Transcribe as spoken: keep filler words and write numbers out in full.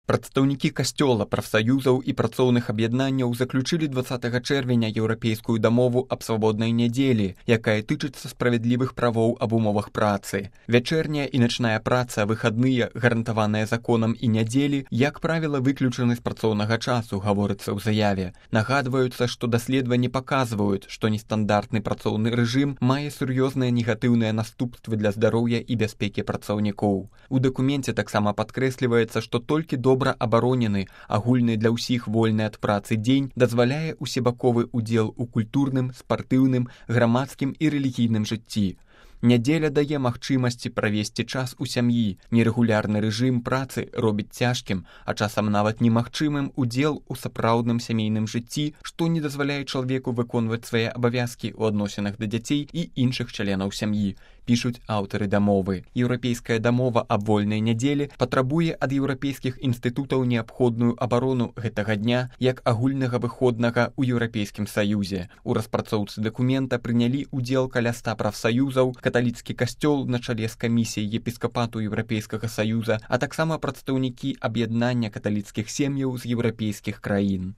Прадстаўнікі касцёла, прафсаюзаў і працоўных аб'яднанняў заключылі дваццатага чэрвеня еўрапейскую дамову аб свабоднай нядзелі, якая тычыцца справядлівых правоў аб умовах працы. Вячэрняя і начная праца, выхадныя, гарантаваныя законам і нядзелі, як правіла, выключаны з працоўнага часу, гаворыцца ў заяве. Нагадваюцца, што даследаванні паказваюць, што нестандартны працоўны рэжым мае сур'ёзныя негатыўныя наступствы для здароўя і бяспекі працаўнікоў. У дакуменце таксама падкрэсліваецца, што толькі добра добра абаронены, агульны для ўсіх вольны ад працы дзень дазваляе усебаковы ўдзел у культурным, спартыўным, грамадскім і рэлігійным жыцці. Нядзеля дае магчымасці правесці час у сям'і. Нерэгулярны рэжым працы робіць цяжкім, а часам нават немагчымым удзел у сапраўдным сямейным жыцці, што не дазваляе чалавеку выконваць свае абавязкі ў адносінах да дзяцей і іншых членаў сям'і, пішуць аўтары дамовы. Еўрапейская дамова аб вольнай нядзелі патрабуе ад еўрапейскіх інстытутаў неабходную абарону гэтага дня як агульнага выходнага ў Еўрапейскім саюзе. У распрацоўцы дакумента прынялі ўдзел каля ста прафсаюзаў, каталіцкі касцёл на чале з камісіяй епіскапату Еўрапейскага саюза, а таксама прадстаўнікі аб'яднання каталіцкіх сем'яў з еўрапейскіх краін.